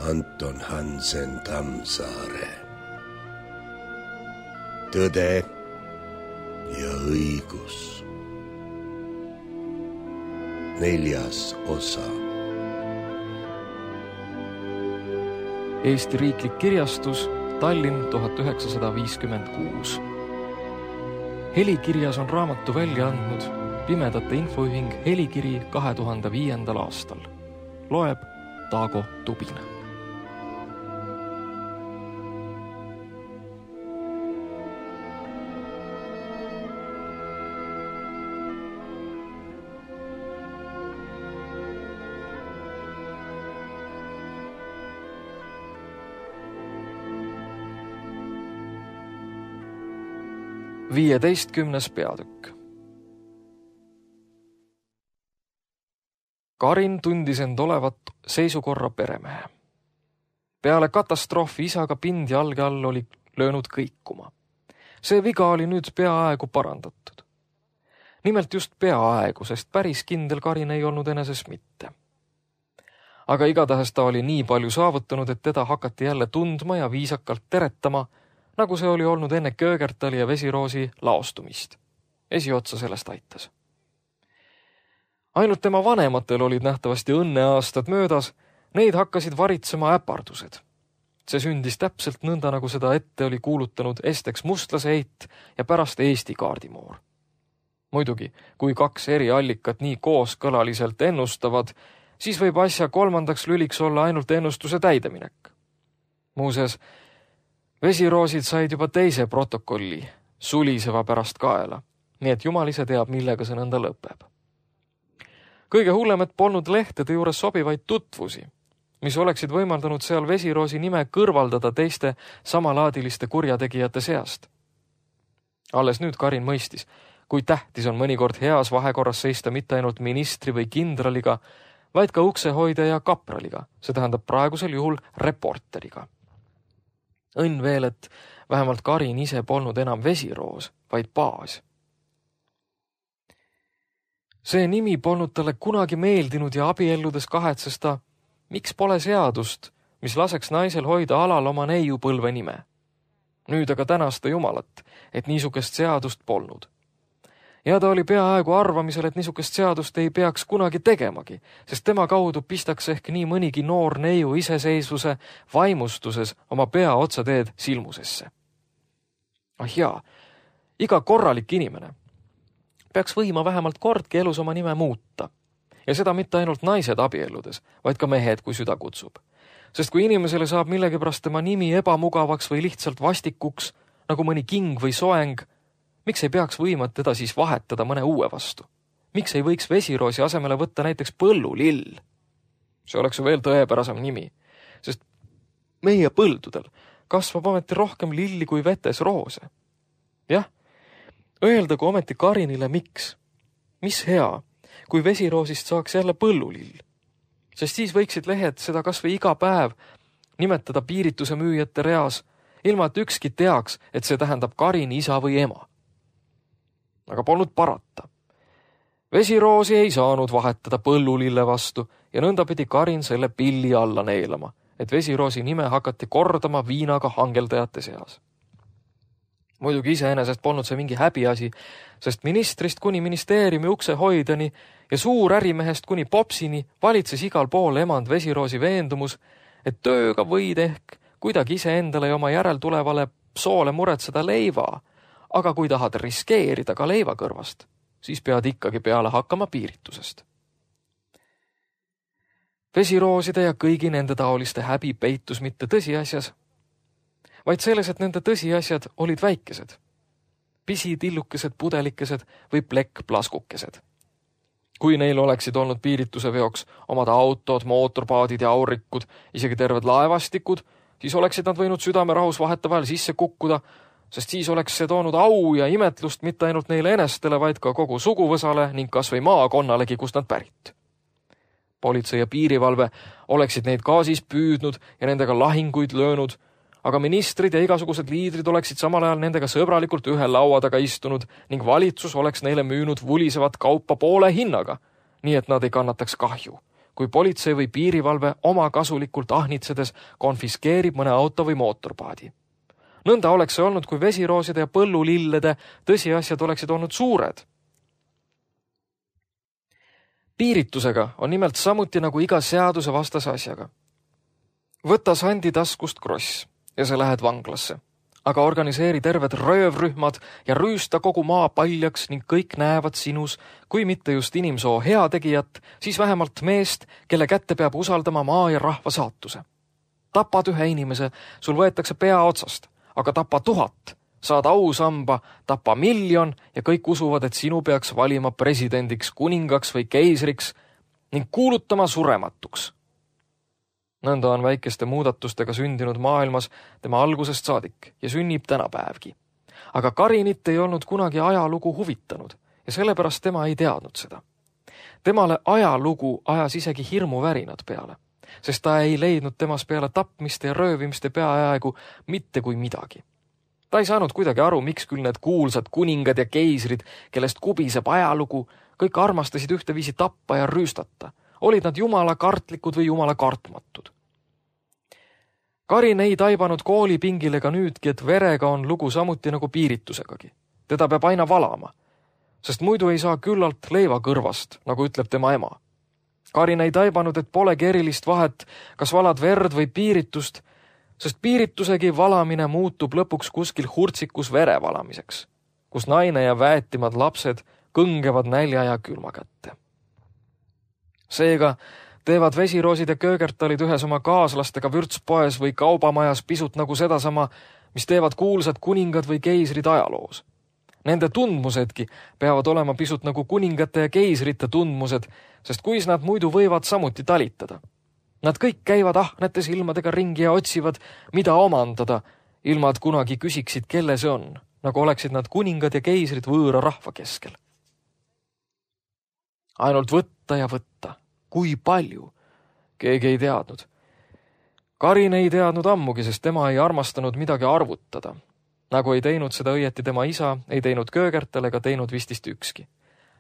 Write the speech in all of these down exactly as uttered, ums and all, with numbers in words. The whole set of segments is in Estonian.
Anton Hansen Tammsaare. Tõde ja õigus. Neljas osa. Eesti Riiklik Kirjastus, Tallinn tuhat üheksasada viiskümmend kuus. Helikirjas on raamatu välja andnud Pimedate Infoühing Helikiri kahe tuhande viiendal aastal. Loeb Taago Tubin. Viieteistkümnes peatükk. Karin tundis end olevat seisukorra peremehe. Peale katastroofi isaga pind jalge all oli löönud kõikuma. See viga oli nüüd peaaegu parandatud. Nimelt just peaaegu, sest päris kindel Karin ei olnud eneses mitte. Aga igatahes ta oli nii palju saavutanud, et teda hakati jälle tundma ja viisakalt teretama, nagu see oli olnud enne Köögertali ja Vesiroosi laostumist. Esiotsa sellest aitas. Ainult tema vanematel olid nähtavasti õnneaastad möödas, neid hakkasid varitsema äpardused. See sündis täpselt nõnda, nagu seda ette oli kuulutanud Esteks Mustlaseit ja pärast Eesti kaardimoor. Muidugi, kui kaks eri allikat nii kooskõlaliselt ennustavad, siis võib asja kolmandaks lüliks olla ainult ennustuse täideminek. Muuseas, Vesiroosid said juba teise protokolli, suliseva pärast kaela, nii et jumal ise teab, millega see nõnda lõpeb. Kõige hullem, et polnud lehtede juures sobivaid tutvusi, mis oleksid võimaldanud seal Vesiroosi nime kõrvaldada teiste samalaadiliste kurjategijate seast. Alles nüüd Karin mõistis, kui tähtis on mõnikord heas vahekorras seista mitte ainult ministri või kindraliga, vaid ka uksehoidja ja kapraliga, see tähendab praegusel juhul reporteriga. Õnn veel, et vähemalt Karin ise polnud enam Vesiroos, vaid Baas. See nimi polnud talle kunagi meeldinud ja abielludes kahetses ta, miks pole seadust, mis laseks naisel hoida alal oma neiupõlve nime. Nüüd aga tänas ta Jumalat, et niisugust seadust polnud. Ja ta oli peaaegu arvamisel, et niisugust seadust ei peaks kunagi tegemagi, sest tema kaudu pistaks ehk nii mõnigi noor neiu iseseisvuse vaimustuses oma pea otsateed silmusesse. Ah jaa, iga korralik inimene peaks võima vähemalt kordki elus oma nime muuta. Ja seda mitte ainult naised abielludes, vaid ka mehed, kui süda kutsub. Sest kui inimesele saab millegipärast tema nimi ebamugavaks või lihtsalt vastikuks, nagu mõni king või soeng, miks ei peaks võima teda siis vahetada mõne uue vastu? Miks ei võiks Vesiroosi asemele võtta näiteks põllulill? See oleks ju veel tõepärasem nimi, sest meie põldudel kasvab ometi rohkem lilli kui vetes roose. Jah, öeldagu ometi Karinile miks. Mis hea, kui Vesiroosist saaks jälle põllulill. Sest siis võiksid lehed seda kas või iga päev nimetada piirituse müüjate reas, ilma et ükski teaks, et see tähendab Karini isa või ema. Aga polnud parata. Vesiroosi ei saanud vahetada põllulille vastu ja nõnda pidi Karin selle pilli alla neelama, et Vesiroosi nime hakati kordama viinaga hangeldajate seas. Muidugi iseenesest polnud see mingi häbiasi, sest ministrist kuni ministeeriumi ukse hoidjani ja suur ärimehest kuni popsini valitses igal pool emand Vesiroosi veendumus, et tööga võid ehk kuidagi iseendale ja oma järeltulevale soole muretseda leiva, aga kui tahad riskeerida ka leiva kõrvast, siis pead ikkagi peale hakkama piiritusest. Vesirooside ja kõigi nende taoliste häbi peitus mitte tõsiasjas, vaid selles, et nende tõsiasjad olid väikesed, pisitillukesed pudelikesed või plekkplaskukesed. Kui neil oleksid olnud piirituse veoks omad autod, mootorpaadid ja aurikud, isegi terved laevastikud, siis oleksid nad võinud südamerahus vahetevahel sisse kukkuda, sest siis oleks see toonud au ja imetlust mitte ainult neile enestele, vaid ka kogu suguvõsale ning kas või maakonnalegi, kust nad pärit. Politsei ja piirivalve oleksid neid ka siis püüdnud ja nendega lahinguid löönud, aga ministrid ja igasugused liidrid oleksid samal ajal nendega sõbralikult ühe laua taga istunud ning valitsus oleks neile müünud vulisevat kaupa poole hinnaga, nii et nad ei kannataks kahju, kui politsei või piirivalve oma kasulikult ahnitsedes konfiskeerib mõne auto või mootorpaadi. Nõnda oleks see olnud, kui vesirooside ja põllulillede tõsiasjad oleksid olnud suured. Piiritusega on nimelt samuti nagu iga seaduse vastase asjaga. Võta sandi taskust kross ja sa lähed vanglasse, aga organiseeri terved röövrühmad ja rüüsta kogu maa paljaks ning kõik näevad sinus, kui mitte just inimsoo heategijat, siis vähemalt meest, kelle kätte peab usaldama maa ja rahva saatuse. Tapad ühe inimese, sul võetakse pea otsast, aga tapa tuhat, saad ausamba, tapa miljon ja kõik usuvad, et sinu peaks valima presidendiks, kuningaks või keisriks ning kuulutama surematuks. Nõnda on väikeste muudatustega sündinud maailmas tema algusest saadik ja sünnib tänapäevgi. Aga Karinit ei olnud kunagi ajalugu huvitanud ja sellepärast tema ei teadnud seda. Temale ajalugu ajas isegi hirmuvärinad peale, sest ta ei leidnud temas peale tapmiste ja röövimiste peaaegu mitte kui midagi. Ta ei saanud kuidagi aru, miks küll need kuulsad kuningad ja keisrid, kellest kubiseb ajalugu, kõik armastasid ühteviisi tappa ja rüüstata. Olid nad jumala kartlikud või jumala kartmatud. Karin ei taibanud koolipingil ega nüüdki, et verega on lugu samuti nagu piiritusegagi. Teda peab aina valama, sest muidu ei saa küllalt leiva kõrvast, nagu ütleb tema ema. Karin ei taibanud, et polegi erilist vahet, kas valad verd või piiritust, sest piiritusegi valamine muutub lõpuks kuskil hurtsikus vere valamiseks, kus naine ja väetimad lapsed kõngevad nälja ja külma kätte. Seega teevad vesiroosid ja köögertalid ühes oma kaaslastega vürtspoes või kaubamajas pisut nagu sedasama, mis teevad kuulsad kuningad või keisrid ajaloos. Nende tundmusedki peavad olema pisut nagu kuningate ja keisrite tundmused, sest kuis nad muidu võivad samuti talitada. Nad kõik käivad ahnete silmadega ringi ja otsivad, mida omandada, ilma et kunagi küsiksid, kelle see on, nagu oleksid nad kuningad ja keisrid võõra rahva keskel. Ainult võtta ja võtta. Kui palju? Keegi ei teadnud. Karin ei teadnud ammugi, sest tema ei armastanud midagi arvutada. Nagu ei teinud seda õieti tema isa, ei teinud köögertel ega teinud vistist ükski.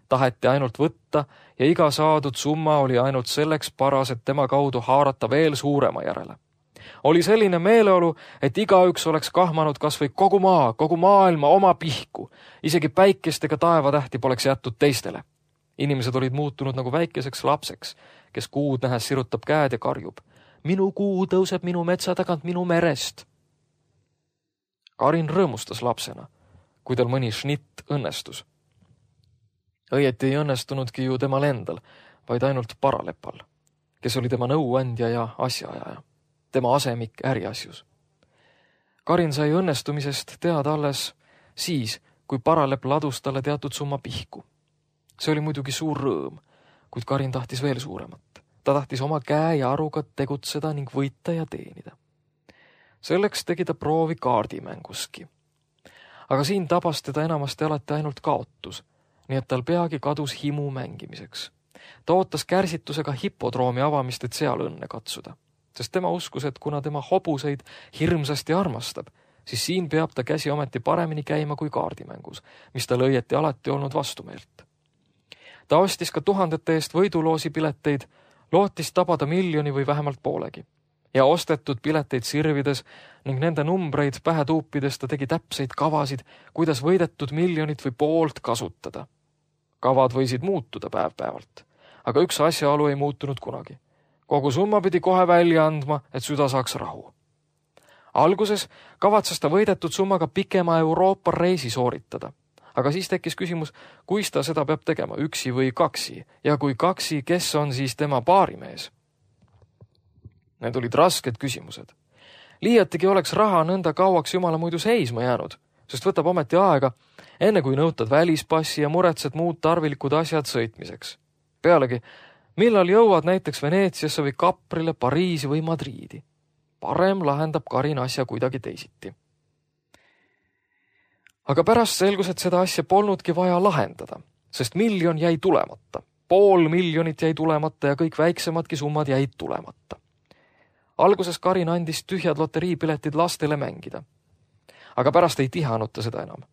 Taheti ainult võtta ja iga saadud summa oli ainult selleks paras, et tema kaudu haarata veel suurema järele. Oli selline meeleolu, et igaüks oleks kahmanud kas või kogu maa, kogu maailma oma pihku. Isegi päikest ega taevatähti poleks jättud teistele. Inimesed olid muutunud nagu väikeseks lapseks, kes kuud nähes sirutab käed ja karjub. Minu kuu tõuseb minu metsa tagant minu merest. Karin rõõmustas lapsena, kui tal mõni šnitt õnnestus. Õieti ei õnnestunudki ju temal endal, vaid ainult Paralepal, kes oli tema nõuandja ja asjaajaja, tema asemik äriasjus. Karin sai õnnestumisest teada alles siis, kui Paralep ladus talle teatud summa pihku. See oli muidugi suur rõõm, kuid Karin tahtis veel suuremat. Ta tahtis oma käe ja aruga tegutseda ning võita ja teenida. Selleks tegi ta proovi kaardimänguski. Aga siin tabas teda enamasti alati ainult kaotus, nii et tal peagi kadus himu mängimiseks. Ta ootas kärsitusega hipodroomi avamist, et seal õnne katsuda, sest tema uskus, et kuna tema hobuseid hirmsasti armastab, siis siin peab ta käsi ometi paremini käima kui kaardimängus, mis tal õieti alati olnud vastumeelt. Ta ostis ka tuhandete eest võiduloosi pileteid, lootis tabada miljoni või vähemalt poolegi. Ja ostetud pileteid sirvides ning nende numbreid pähe tuupides ta tegi täpseid kavasid, kuidas võidetud miljonit või poolt kasutada. Kavad võisid muutuda päev-päevalt, aga üks asjaolu ei muutunud kunagi. Kogu summa pidi kohe välja andma, et süda saaks rahu. Alguses kavatses ta võidetud summaga pikema Euroopa reisi sooritada. Aga siis tekkis küsimus, kuis ta seda peab tegema, üksi või kaksi, ja kui kaksi, kes on siis tema paarimees? Need olid rasked küsimused. Liiatigi oleks raha nõnda kauaks jumala muidu seisma jäänud, sest võtab ometi aega, enne kui nõutad välispassi ja muretsed muud tarvilikud asjad sõitmiseks. Pealegi, millal jõuad näiteks Veneetsiasse või Kaprile, Pariisi või Madriidi? Parem lahendab Karin asja kuidagi teisiti. Aga pärast selgus, et seda asja polnudki vaja lahendada, sest miljon jäi tulemata, pool miljonit jäi tulemata ja kõik väiksemadki summad jäid tulemata. Alguses Karin andis tühjad loteriipiletid lastele mängida, aga pärast ei tihanud ta seda enam,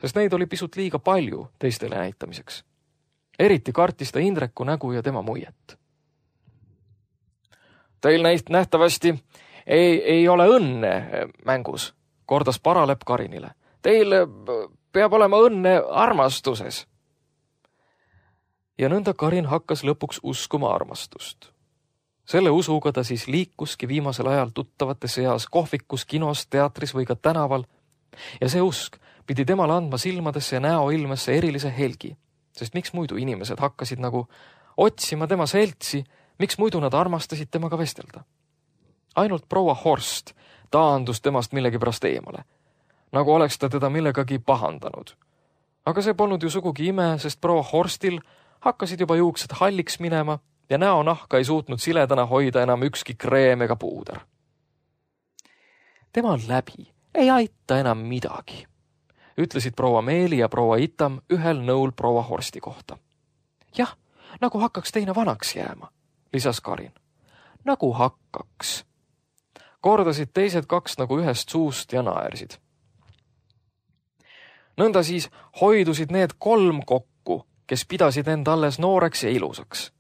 sest neid oli pisut liiga palju teistele näitamiseks. Eriti kartis ta Indreku nägu ja tema muiet. Teil näit nähtavasti ei, ei ole õnne mängus, kordas Paralepp Karinile. Teil peab olema õnne armastuses. Ja nõnda Karin hakkas lõpuks uskuma armastust. Selle usuga ta siis liikuski viimasel ajal tuttavate seas kohvikus, kinos, teatris või ka tänaval. Ja see usk pidi temale andma silmadesse ja näoilmesse erilise helgi, sest miks muidu inimesed hakkasid nagu otsima tema seltsi, miks muidu nad armastasid temaga vestelda. Ainult proua Horst taandus temast millegipärast eemale, nagu oleks ta teda millegagi pahandanud. Aga see polnud ju sugugi ime, sest proua Horstil hakkasid juba juuksed halliks minema ja näonahka ei suutnud siledana hoida enam ükski kreem ega puuder. Tema läbi ei aita enam midagi, ütlesid proua Meeli ja proua Itam ühel nõul proua Horsti kohta. Jah, nagu hakkaks teine vanaks jääma, lisas Karin. Nagu hakkaks. Kordasid teised kaks nagu ühest suust ja naersid. Nõnda siis hoidusid need kolm kokku, kes pidasid end alles nooreks ja ilusaks.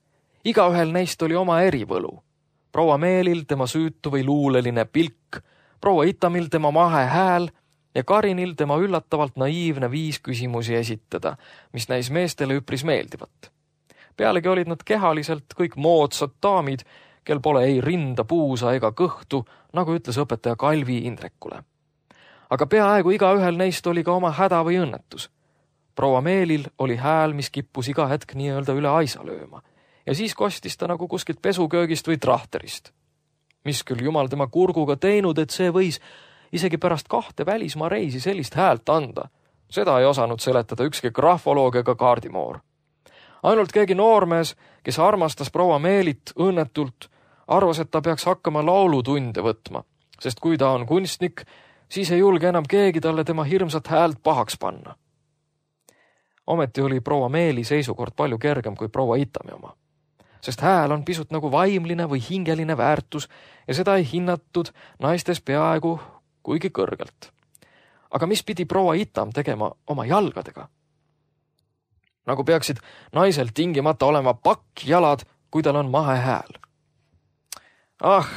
Igaühel neist oli oma erivõlu. Proua Meelil tema süütu või luuleline pilk, proua Itamil tema mahe hääl ja Karinil tema üllatavalt naiivne viis küsimusi esitada, mis näis meestele üpris meeldivat. Pealegi olid nad kehaliselt kõik moodsad daamid, kel pole ei rinda, puusa ega kõhtu, nagu ütles õpetaja Kalvi Indrekule. Aga peaaegu igaühel neist oli ka oma häda või õnnetus. Proua Meelil oli hääl, mis kippus iga hetk nii-öelda üle aisa lööma ja siis kostis ta nagu kuskilt pesuköögist või trahterist. Mis küll jumal tema kurguga teinud, et see võis isegi pärast kahte välismaa reisi sellist häält anda. Seda ei osanud seletada ükski grafoloog ega kaardimoor. Ainult keegi noormees, kes armastas proua Meelit õnnetult, arvas, et ta peaks hakkama laulutunde võtma, sest kui ta on kunstnik, siis ei julge enam keegi talle tema hirmsat häält pahaks panna. Ometi oli proua Meeli seisukord palju kergem kui proua Itami oma, sest hääl on pisut nagu vaimline või hingeline väärtus ja seda ei hinnatud naistes peaaegu kuigi kõrgelt. Aga mis pidi proua Itam tegema oma jalgadega? Nagu peaksid naisel tingimata olema pakkjalad, kui tal on mahe hääl. Ah,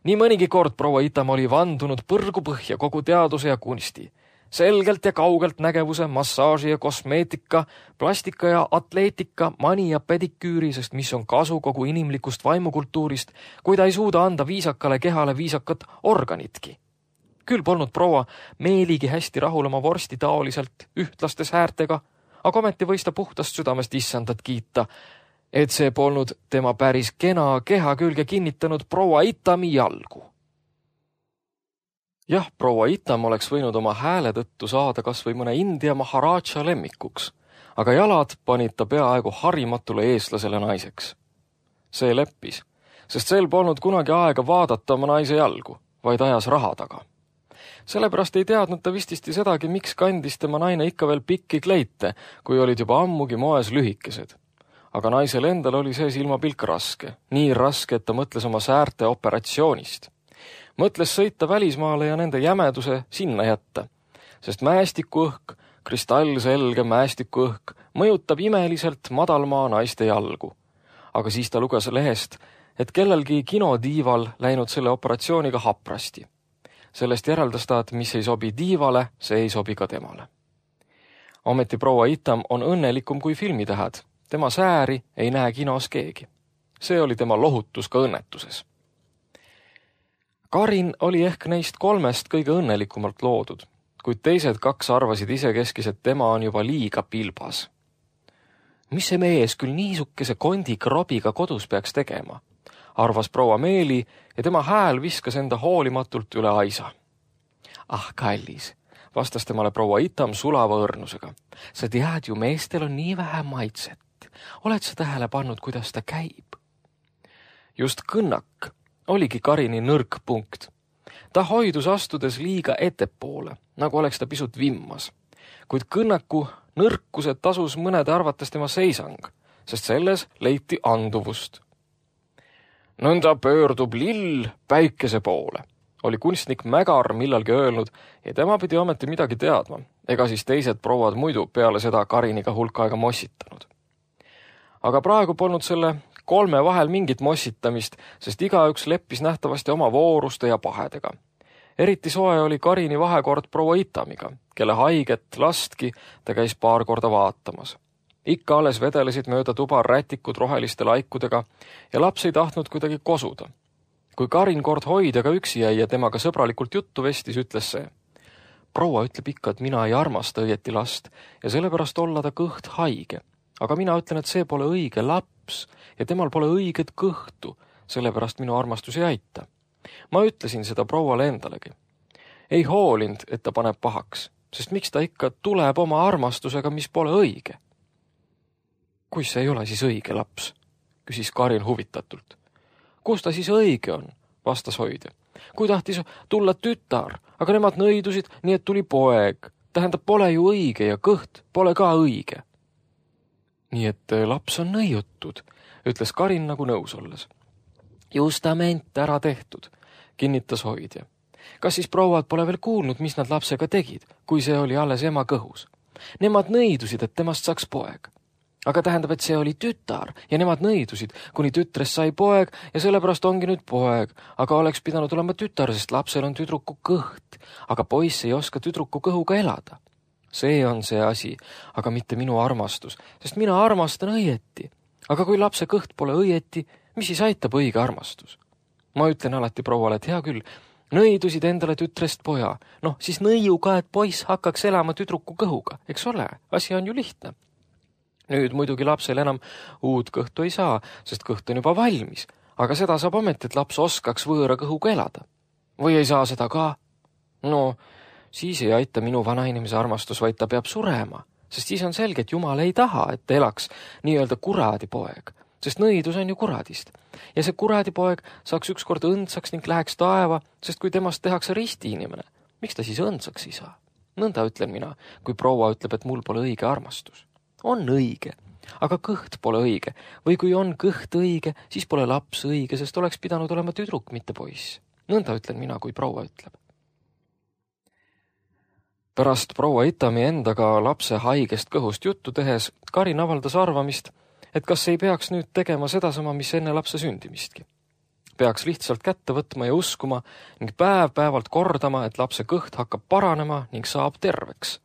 nii mõnigi kord proua Itam oli vandunud põrgu põhja kogu teaduse ja kunsti, selgelt ja kaugelt nägevuse, massaaži ja kosmeetika, plastika ja atleetika, mani ja pediküüri, sest mis on kasu kogu inimlikust vaimukultuurist, kui ta ei suuda anda viisakale kehale viisakat organitki. Küll polnud proua Meeligi hästi rahul oma vorsti taoliselt ühtlastes häärtega, aga ometi võis ta puhtast südamest issandat kiita, et see polnud tema päris kena keha külge kinnitanud proua Itami jalgu. Jah, proua Itam oleks võinud oma hääle tõttu saada kas või mõne India maharaja lemmikuks, aga jalad panid ta peaaegu harimatule eestlasele naiseks. See leppis, sest sel polnud kunagi aega vaadata oma naise jalgu, vaid ajas raha taga. Sellepärast ei teadnud ta vististi sedagi, miks kandis tema naine ikka veel pikki kleite, kui olid juba ammugi moes lühikesed. Aga naisel endal oli see silmapilk raske, nii raske, et ta mõtles oma säärte operatsioonist. Mõtles sõita välismaale ja nende jämeduse sinna jätta, sest mäestikuõhk, kristallselge mäestikuõhk, mõjutab imeliselt madalmaa naiste jalgu. Aga siis ta luges lehest, et kellelgi kinodiival läinud selle operatsiooniga haprasti. Sellest järeldas ta, et mis ei sobi diivale, see ei sobi ka temale. Ometi proua Itam on õnnelikum kui filmitähed. Tema sääri ei näe kinos keegi. See oli tema lohutus ka õnnetuses. Karin oli ehk neist kolmest kõige õnnelikumalt loodud, kuid teised kaks arvasid isekeskis, et tema on juba liiga pilbas. Mis see mees küll niisukese kondi krobiga kodus peaks tegema? Arvas proua Meeli ja tema hääl viskas enda hoolimatult üle aisa. Ah, kallis, vastas temale proua Itam sulava õrnusega. Sa tead ju, meestel on nii vähe maitset. Oled sa tähele pannud, kuidas ta käib? Just kõnnak oligi Karini nõrk punkt. Ta hoidus astudes liiga ettepoole, nagu oleks ta pisut vimmas. Kuid kõnnaku nõrkused tasus mõnede arvates tema seisang, sest selles leiti anduvust. Nõnda pöördub lill päikese poole, oli kunstnik Mägar millalgi öelnud ja tema pidi ometi midagi teadma, ega siis teised prouad muidu peale seda Kariniga hulka aega mossitanud. Aga praegu polnud selle kolme vahel mingit mossitamist, sest igaüks leppis nähtavasti oma vooruste ja pahedega. Eriti soe oli Karini vahekord proua Itamiga, kelle haiget lastki ta käis paar korda vaatamas. Ikka alles vedelesid mööda tuba rätikud roheliste laikudega ja laps ei tahtnud kuidagi kosuda. Kui Karin kord hoidjaga üksi jäi ja temaga sõbralikult juttu vestis, ütles see: proua ütleb ikka, et mina ei armasta õieti last ja sellepärast olla ta kõht haige. Aga mina ütlen, et see pole õige laps ja temal pole õiget kõhtu, sellepärast minu armastus ei aita. Ma ütlesin seda prouale endalegi. Ei hoolinud, et ta paneb pahaks, sest miks ta ikka tuleb oma armastusega, mis pole õige? Kui see ei ole siis õige laps, küsis Karin huvitatult. Kus ta siis õige on, vastas hoidja. Kui tahtis tulla tütar, aga nemad nõidusid, nii et tuli poeg. Tähendab, pole ju õige ja kõht pole ka õige. Nii et laps on nõiutud, ütles Karin nagu nõus olles. Justament ära tehtud, kinnitas hoidja. Kas siis prouad pole veel kuulnud, mis nad lapsega tegid, kui see oli alles ema kõhus? Nemad nõidusid, et temast saaks poeg. Aga tähendab, et see oli tütar ja nemad nõidusid, kuni tütrest sai poeg ja sellepärast ongi nüüd poeg, aga oleks pidanud olema tütar, sest lapsel on tüdruku kõht, aga poiss ei oska tüdruku kõhuga elada. See on see asi, aga mitte minu armastus, sest mina armastan õieti. Aga kui lapse kõht pole õieti, mis siis aitab õige armastus? Ma ütlen alati prouale, et hea küll, nõidusid endale tütrest poja. Noh, siis nõiu ka, et poiss hakkaks elama tüdruku kõhuga, eks ole, asi on ju lihtne. Nüüd muidugi lapsel enam uut kõhtu ei saa, sest kõht on juba valmis, aga seda saab ometi, et laps oskaks võõra kõhuga elada. Või ei saa seda ka? No, siis ei aita minu vanainimese armastus, vaid ta peab surema, sest siis on selge, et Jumal ei taha, et ta elaks nii-öelda kuradipoeg, sest nõidus on ju kuradist. Ja see kuradipoeg saaks ükskord õndsaks ning läheks taeva, sest kui temast tehakse risti inimene, miks ta siis õndsaks ei saa? Nõnda ütlen mina, kui proua ütleb, et mul pole õige armastus. On õige, aga kõht pole õige, või kui on kõht õige, siis pole laps õige, sest oleks pidanud olema tüdruk, mitte poiss. Nõnda ütlen mina, kui proua ütleb. Pärast proua Itami endaga lapse haigest kõhust juttu tehes Karin avaldas arvamist, et kas ei peaks nüüd tegema sedasama, mis enne lapse sündimistki. Peaks lihtsalt kätte võtma ja uskuma ning päev-päevalt kordama, et lapse kõht hakkab paranema ning saab terveks.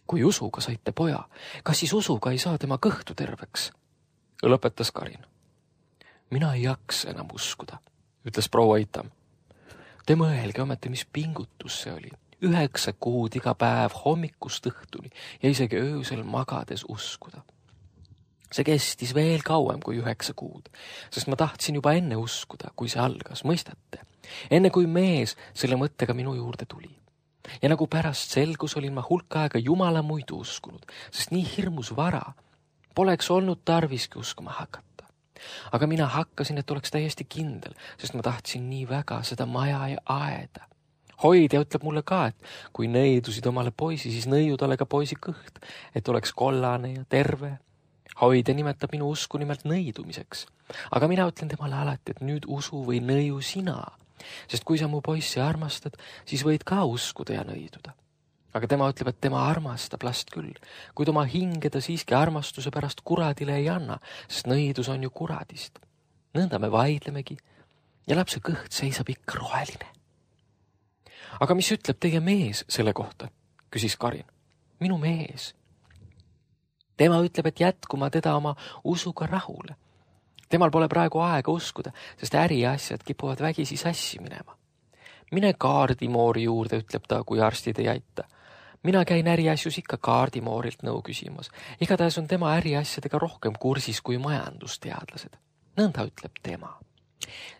Kui usuga saite poja, kas siis usuga ei saa tema kõhtu terveks? Lõpetas Karin. Mina ei jaksa enam uskuda, ütles proua Itam. Te mõelge ometi, mis pingutus see oli. Üheksa kuud iga päev hommikust õhtuni ja isegi öösel magades uskuda. See kestis veel kauem kui üheksa kuud, sest ma tahtsin juba enne uskuda, kui see algas, mõistate? Enne kui mees selle mõttega minu juurde tuli. Ja nagu pärast selgus, olin ma hulka aega Jumala muidu uskunud, sest nii hirmus vara poleks olnud tarviski uskuma hakata. Aga mina hakkasin, et oleks täiesti kindel, sest ma tahtsin nii väga seda maja ja aeda. Hoidja ütleb mulle ka, et kui nõidusid omale poisi, siis nõiu talle ka poisi kõht, et oleks kollane ja terve. Hoidja nimetab minu usku nimelt nõidumiseks. Aga mina ütlen temale alati, et nüüd usu või nõiu sina. Sest kui sa mu poissi armastad, siis võid ka uskuda ja nõiduda. Aga tema ütleb, et tema armastab last küll, kuid oma hinge ta siiski armastuse pärast kuradile ei anna, sest nõidus on ju kuradist. Nõnda me vaidlemegi ja lapse kõht seisab ikka roheline. Aga mis ütleb teie mees selle kohta, küsis Karin. Minu mees. Tema ütleb, et jätkuma teda oma usuga rahule. Temal pole praegu aega uskuda, sest äriasjad kipuvad vägisi sassi minema. Mine kaardimoori juurde, ütleb ta, kui arstid ei aita. Mina käin äriasjus ikka kaardimoorilt nõu küsimas. Igatahes on tema äriasjadega rohkem kursis kui majandusteadlased. Nõnda ütleb tema.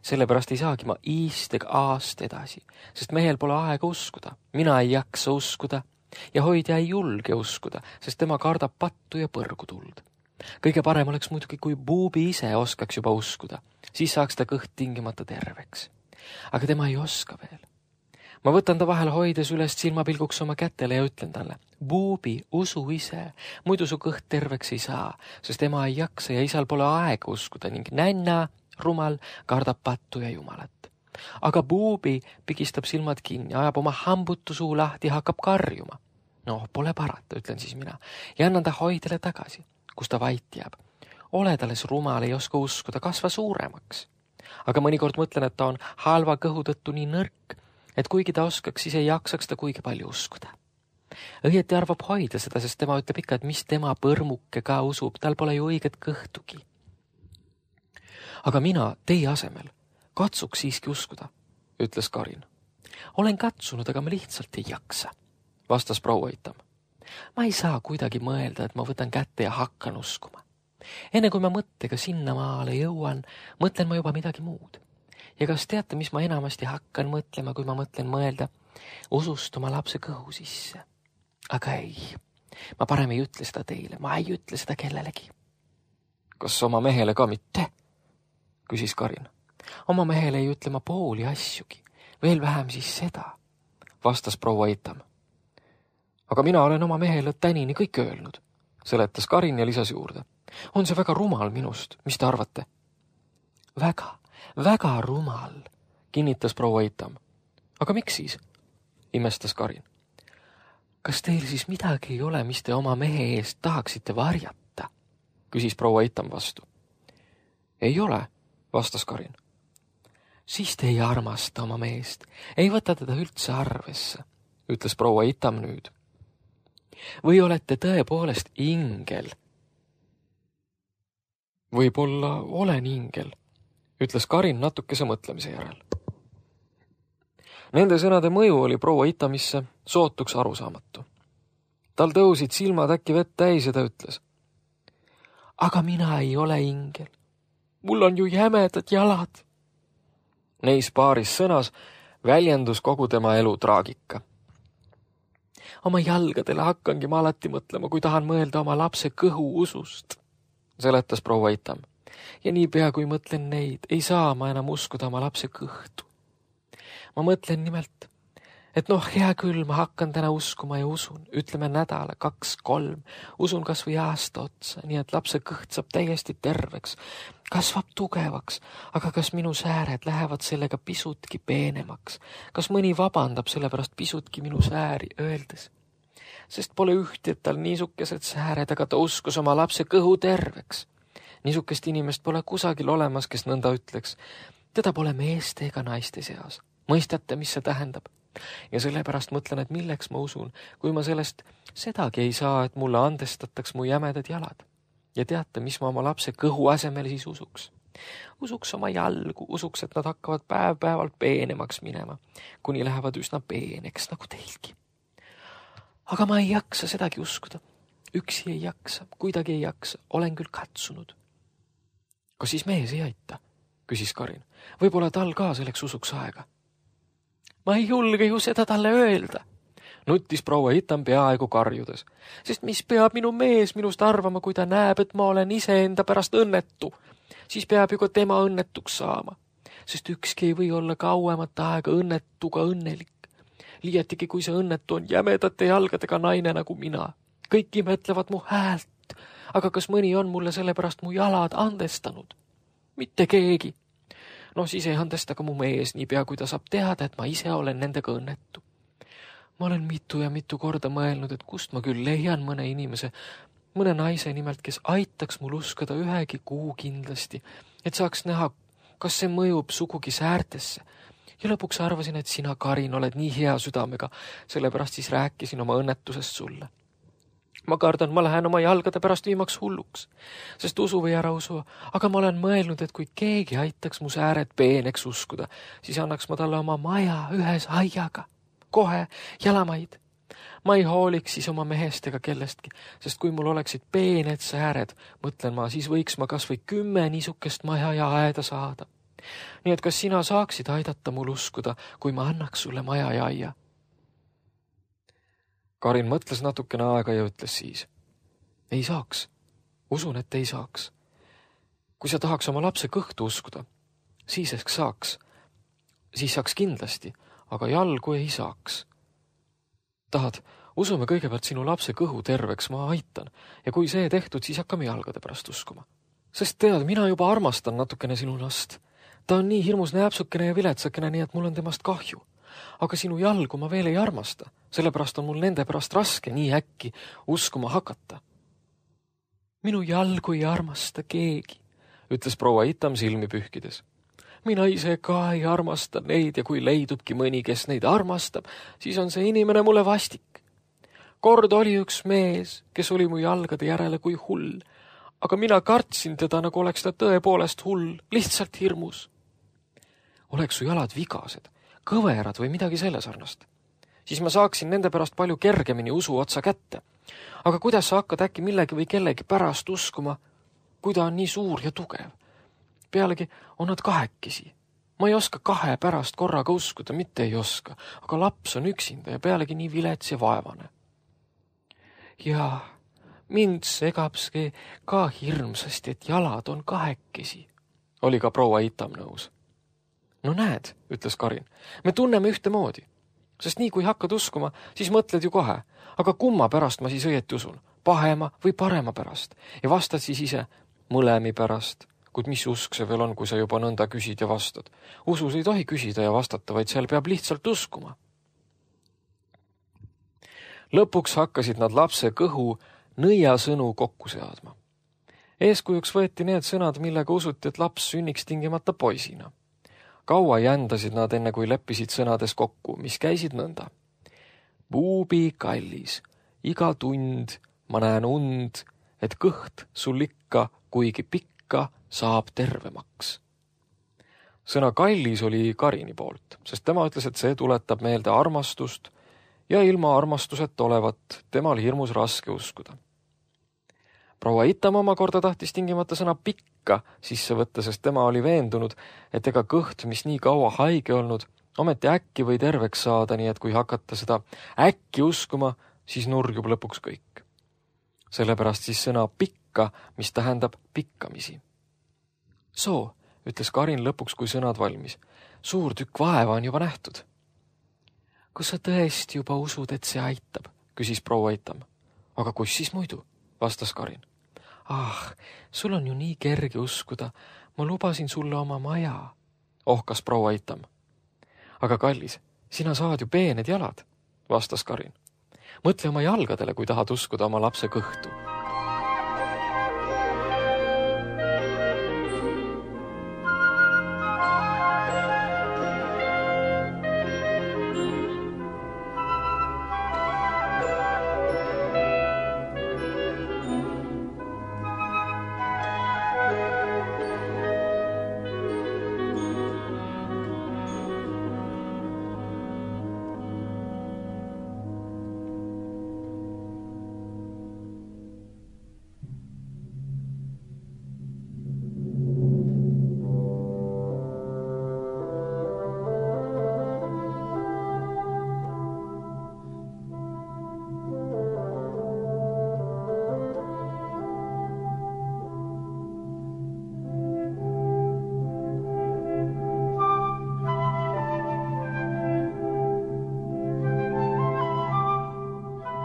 Sellepärast ei saagi ma iist ega aast edasi, sest mehel pole aega uskuda. Mina ei jaksa uskuda ja hoidja ei julge uskuda, sest tema kardab pattu ja põrgu tuld. Kõige parem oleks muidugi, kui buubi ise oskaks juba uskuda, siis saaks ta kõht tingimata terveks. Aga tema ei oska veel. Ma võtan ta vahel hoides üles silmapilguks oma kätele ja ütlen talle, buubi, usu ise, muidu su kõht terveks ei saa, sest tema ei jaksa ja isal pole aega uskuda ning nänna, rumal, kardab pattu ja Jumalat. Aga buubi pigistab silmad kinni, ajab oma hambutu suu lahti ja hakkab karjuma. No, pole parata, ütlen siis mina, ja annan ta hoidele tagasi, kus ta vait jääb. oled alles rumal, ei oska uskuda, kasva suuremaks. Aga mõnikord mõtlen, et ta on halva kõhu tõttu nii nõrk, et kuigi ta oskaks, siis ei jaksaks ta kuigi palju uskuda. Õieti arvab hoida seda, sest tema ütleb ikka, et mis tema põrmuke ka usub, tal pole ju õiget kõhtugi. Aga mina teie asemel katsuks siiski uskuda, ütles Karin. Olen katsunud, aga ma lihtsalt ei jaksa, vastas proua Itam. Ma ei saa kuidagi mõelda, et ma võtan kätte ja hakkan uskuma. Enne kui ma mõttega sinna maale jõuan, mõtlen ma juba midagi muud. Ja kas teate, mis ma enamasti hakkan mõtlema, kui ma mõtlen mõelda usust oma lapse kõhu sisse? Aga ei, ma parem ei ütle seda teile, ma ei ütle seda kellelegi. Kas oma mehele ka mitte? Küsis Karin. Oma mehele ei ütle ma pooli asjugi, veel vähem siis seda, vastas proua Itam. Aga mina olen oma mehele tänini kõik öelnud, seletas Karin ja lisas juurde. On see väga rumal minust, mis te arvate? Väga, väga rumal, kinnitas proua Itam. Aga miks siis? Imestas Karin. Kas teil siis midagi ei ole, mis te oma mehe eest tahaksite varjata? Küsis proua Itam vastu. Ei ole, vastas Karin. Siis te ei armasta oma meest, ei võta teda üldse arvesse, ütles proua Itam nüüd. Või olete tõepoolest ingel? Võib-olla olen ingel, ütles Karin natukese mõtlemise järel. Nende sõnade mõju oli proua Itamisse sootuks arusaamatu. Tal tõusid silmad äkki vett täis ja ta ütles. Aga mina ei ole ingel. Mul on ju jämedad jalad. Neis paaris sõnas väljendus kogu tema elu traagika. Oma jalgadele hakkangi ma alati mõtlema, kui tahan mõelda oma lapse kõhu usust, seletas proua Itam. Ja niipea kui mõtlen neid, ei saa ma enam uskuda oma lapse kõhtu. Ma mõtlen nimelt, et noh, hea küll, ma hakkan täna uskuma ja usun, ütleme nädala, kaks, kolm, usun kas või aasta otsa, nii et lapse kõht saab täiesti terveks, kasvab tugevaks, aga kas minu sääred lähevad sellega pisutki peenemaks, kas mõni vabandab sellepärast pisutki minu sääri öeldes, sest pole ühti, et tal niisukesed sääred, aga ta uskus oma lapse kõhu terveks. Niisukest inimest pole kusagil olemas, kes nõnda ütleks, teda pole meeste ega naiste seas. Mõistate, mis see tähendab? Ja sellepärast mõtlen, et milleks ma usun, kui ma sellest sedagi ei saa, et mulle andestataks mu jämedad jalad. Ja teate, mis ma oma lapse kõhu asemel siis usuks? Usuks oma jalgu, usuks, et nad hakkavad päev-päevalt peenemaks minema, kuni lähevad üsna peeneks, nagu teilgi. Aga ma ei jaksa sedagi uskuda. Üksi ei jaksa, kuidagi ei jaksa, olen küll katsunud. Kas siis mees ei aita? Küsis Karin. Võib-olla tal ka selleks usuks aega. Ma ei julge ju seda talle öelda, nuttis proua Itam peaaegu karjudes, sest mis peab minu mees minust arvama, kui ta näeb, et ma olen iseenda pärast õnnetu, siis peab ju ka tema õnnetuks saama, sest ükski ei või olla kauemat aega õnnetuga õnnelik. Liiatigi, kui see õnnetu on jämedate jalgadega naine nagu mina. Kõik imetlevad mu häält, aga kas mõni on mulle sellepärast mu jalad andestanud? Mitte keegi. No siis ei andesta ka mu mees niipea, kui ta saab teada, et ma ise olen nendega õnnetu. Ma olen mitu ja mitu korda mõelnud, et kust ma küll leian mõne inimese, mõne naise nimelt, kes aitaks mul uskuda ühegi kuu kindlasti, et saaks näha, kas see mõjub sugugi säärtesse. Ja lõpuks arvasin, et sina, Karin, oled nii hea südamega, sellepärast siis rääkisin oma õnnetusest sulle. Ma kardan, ma lähen oma jalgade pärast viimaks hulluks, sest usu või ära usu, aga ma olen mõelnud, et kui keegi aitaks mu sääred peeneks uskuda, siis annaks ma talle oma maja ühes aiaga, kohe jalamaid. Ma ei hooliks siis oma mehest ega kellestki, sest kui mul oleksid peened sääred, mõtlen ma, siis võiks ma kas või kümme niisukest maja ja aeda saada. Nii et kas sina saaksid aidata mul uskuda, kui ma annaks sulle maja ja aia? Karin mõtles natukene aega ja ütles siis. Ei saaks. Usun, et ei saaks. Kui sa tahaks oma lapse kõhtu uskuda, siis ehk saaks. Siis saaks kindlasti, aga jalgu ei saaks. Tahad, usume kõigepealt sinu lapse kõhu terveks, ma aitan. Ja kui see tehtud, siis hakkame jalgade pärast uskuma. Sest tead, mina juba armastan natukene sinu last. Ta on nii hirmus näpsukene ja viletsakene, nii et mul on temast kahju. Aga sinu jalgu ma veel ei armasta, sellepärast on mul nende pärast raske nii äkki uskuma hakata. Minu jalgu ei armasta keegi, ütles proua Itam silmi pühkides. Mina ise ka ei armasta neid ja kui leidubki mõni, kes neid armastab, siis on see inimene mulle vastik. Kord oli üks mees, kes oli mu jalgade järele kui hull, aga mina kartsin teda, nagu oleks ta tõepoolest hull, lihtsalt hirmus. Oleks su jalad vigased, kõverad või midagi selle sarnast, siis ma saaksin nende pärast palju kergemini usu otsa kätte. Aga kuidas sa hakkad äkki millegi või kellegi pärast uskuma, kui ta on nii suur ja tugev? Pealegi on nad kahekesi. Ma ei oska kahe pärast korraga uskuda, mitte ei oska, aga laps on üksinda ja pealegi nii vilets ja vaevane. Ja mind segabski ka hirmsasti, et jalad on kahekesi, oli ka proua Itam nõus. No näed, ütles Karin, me tunneme ühtemoodi, sest nii kui hakkad uskuma, siis mõtled ju kohe, aga kumma pärast ma siis õieti usun, pahema või parema pärast, ja vastad siis ise mõlemi pärast, kuid mis usk see veel on, kui sa juba nõnda küsid ja vastad. Usus ei tohi küsida ja vastata, vaid seal peab lihtsalt uskuma. Lõpuks hakkasid nad lapse kõhu nõiasõnu kokku seadma. Eeskujuks võeti need sõnad, millega usuti, et laps sünniks tingimata poisina. Kaua jändasid nad enne, kui leppisid sõnades kokku, mis käisid nõnda. Buubi kallis, iga tund ma näen und, et kõht sul ikka, kuigi pikka, saab tervemaks. Sõna kallis oli Karini poolt, sest tema ütles, et see tuletab meelde armastust ja ilma armastuseta olevat temal hirmus raske uskuda. Proua Itam omakorda tahtis tingimata sõna pikka sisse võtta, sest tema oli veendunud, et ega kõht, mis nii kaua haige olnud, ometi äkki või terveks saada, nii et kui hakata seda äkki uskuma, siis nurjub lõpuks kõik. Sellepärast siis sõna pikka, mis tähendab pikkamisi. Soo, ütles Karin lõpuks, kui sõnad valmis. Suur tükk vaeva on juba nähtud. Kas sa tõesti juba usud, et see aitab, küsis proua Itam. Aga kus siis muidu, vastas Karin. Ah, sul on ju nii kerge uskuda. Ma lubasin sulle oma maja, ohkas proua Itam. Aga kallis, sina saad ju peened jalad, vastas Karin. Mõtle oma jalgadele, kui tahad uskuda oma lapse kõhtu.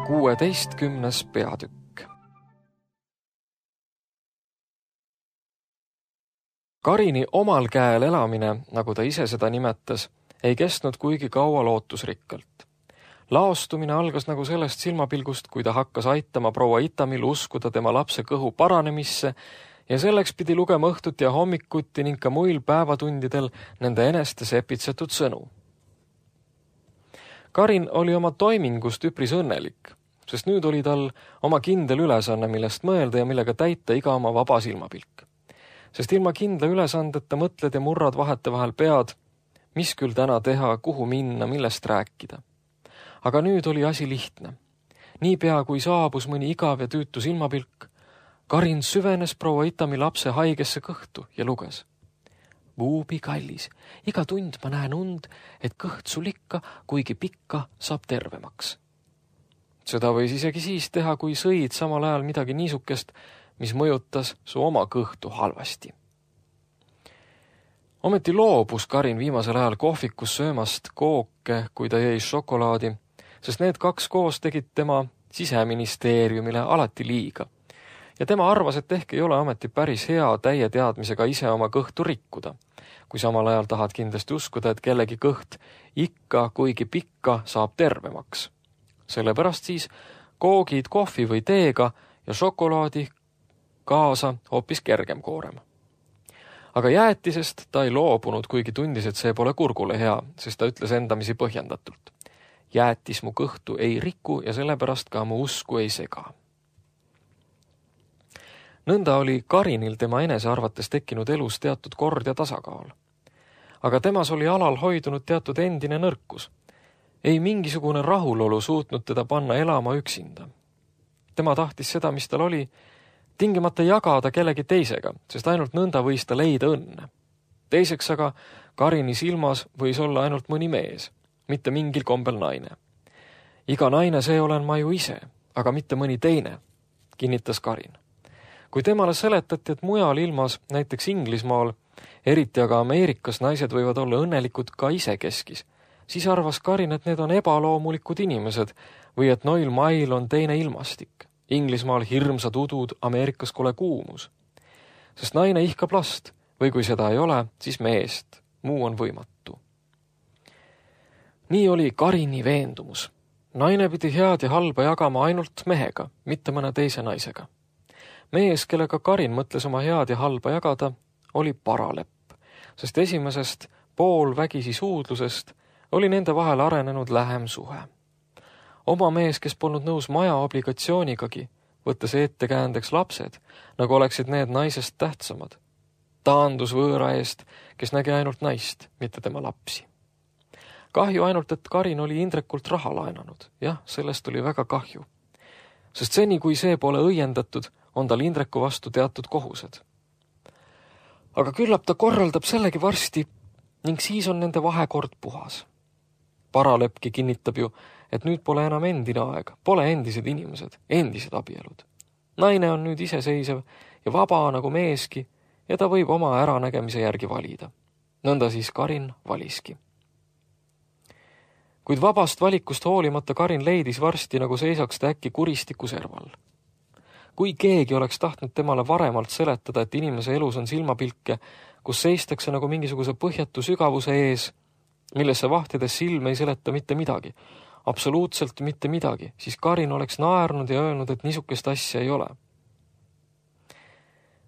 kuueteistkümnes peatükk. Karini omal käel elamine, nagu ta ise seda nimetas, ei kestnud kuigi kaua lootusrikkalt. Laostumine algas nagu sellest silmapilgust, kui ta hakkas aitama proua Itamil uskuda tema lapse kõhu paranemisse ja selleks pidi lugema õhtuti ja hommikuti ning ka muil päevatundidel nende eneste sepitsetud sõnu. Karin oli oma toimingust üpris õnnelik, sest nüüd oli tal oma kindel ülesanne, millest mõelda ja millega täita iga oma vaba silmapilk. Sest ilma kindla ülesandeta mõtled ja murrad vahetevahel pead, mis küll täna teha, kuhu minna, millest rääkida. Aga nüüd oli asi lihtne. Niipea kui saabus mõni igav ja tüütu silmapilk, Karin süvenes proua Itami lapse haigesse kõhtu ja luges. Buubi kallis, iga tund ma näen und, et kõht sul ikka, kuigi pikka, saab tervemaks. Seda võis isegi siis teha, kui sõid samal ajal midagi niisukest, mis mõjutas su oma kõhtu halvasti. Ometi loobus Karin viimasel ajal kohvikus söömast kooke, kui ta jäi šokolaadi, sest need kaks koos tegid tema siseministeeriumile alati liiga. Ja tema arvas, et ehk ei ole ometi päris hea täie teadmisega ise oma kõhtu rikkuda, kui samal ajal tahad kindlasti uskuda, et kellegi kõht ikka, kuigi pikka, saab tervemaks. Sellepärast siis koogid kohvi või teega ja šokolaadi kaasa hoopis kergem koorem. Aga jäätisest ta ei loobunud, kuigi tundis, et see pole kurgule hea, sest ta ütles endamisi põhjendatult. Jäätis mu kõhtu ei riku ja sellepärast ka mu usku ei sega. Nõnda oli Karinil tema enese arvates tekkinud elus teatud kord ja tasakaal. Aga temas oli alal hoidunud teatud endine nõrkus. Ei mingisugune rahulolu suutnud teda panna elama üksinda. Tema tahtis seda, mis tal oli, tingimata jagada kellegi teisega, sest ainult nõnda võis ta leida õnne. Teiseks aga Karini silmas võis olla ainult mõni mees, mitte mingil kombel naine. Iga naine see olen ma ju ise, aga mitte mõni teine, kinnitas Karin. Kui temale seletati, et mujal ilmas, näiteks Inglismaal, eriti aga Ameerikas naised võivad olla õnnelikud ka isekeskis, siis arvas Karin, et need on ebaloomulikud inimesed või et noil mail on teine ilmastik. Inglismaal hirmsad udud, Ameerikas kole kuumus. Sest naine ihkab last või kui seda ei ole, siis meest. Muu on võimatu. Nii oli Karini veendumus. Naine pidi head ja halba jagama ainult mehega, mitte mõne teise naisega. Mees, kellega Karin mõtles oma head ja halba jagada, oli Paralepp, sest esimesest poolvägisi suudlusest oli nende vahel arenenud lähem suhe. Oma mees, kes polnud nõus maja obligatsioonigagi, võttes ettekäändeks lapsed, nagu oleksid need naisest tähtsamad. Taandus võõra eest, kes nägi ainult naist, mitte tema lapsi. Kahju ainult, et Karin oli Indrekult raha laenanud. Jah, sellest oli väga kahju. Sest seni, kui see pole õiendatud, on tal Indreku vastu teatud kohused. Aga küllap ta korraldab sellegi varsti ning siis on nende vahekord puhas. Paraleppki kinnitab ju, et nüüd pole enam endine aeg, pole endised inimesed, endised abielud. Naine on nüüd iseseisev ja vaba nagu meeski ja ta võib oma äranägemise järgi valida. Nõnda siis Karin valiski. Kuid vabast valikust hoolimata Karin leidis varsti, nagu seisaks ta äkki kuristiku serval. Kui keegi oleks tahtnud temale varemalt seletada, et inimese elus on silmapilke, kus seistakse nagu mingisuguse põhjatu sügavuse ees, millesse vahtides silm ei seleta mitte midagi, absoluutselt mitte midagi, siis Karin oleks naernud ja öelnud, et niisugust asja ei ole.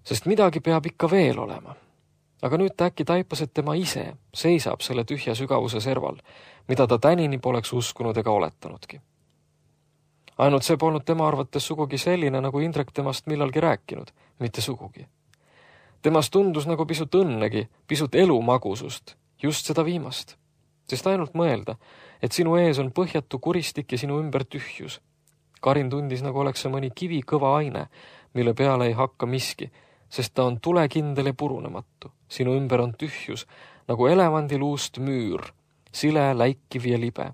Sest midagi peab ikka veel olema. Aga nüüd ta äkki taipas, et tema ise seisab selle tühja sügavuse serval, mida ta tänini poleks uskunud ega oletanudki. Ainult see polnud tema arvates sugugi selline, nagu Indrek temast millalgi rääkinud, mitte sugugi. Temast tundus nagu pisut õnnegi, pisut elumagusust, just seda viimast. Sest ainult mõelda, et sinu ees on põhjatu kuristik ja sinu ümber tühjus. Karin tundis, nagu oleks see mõni kivi kõva aine, mille peale ei hakka miski, sest ta on tulekindel ja purunematu. Sinu ümber on tühjus, nagu elevandiluust müür, sile, läikiv ja libe.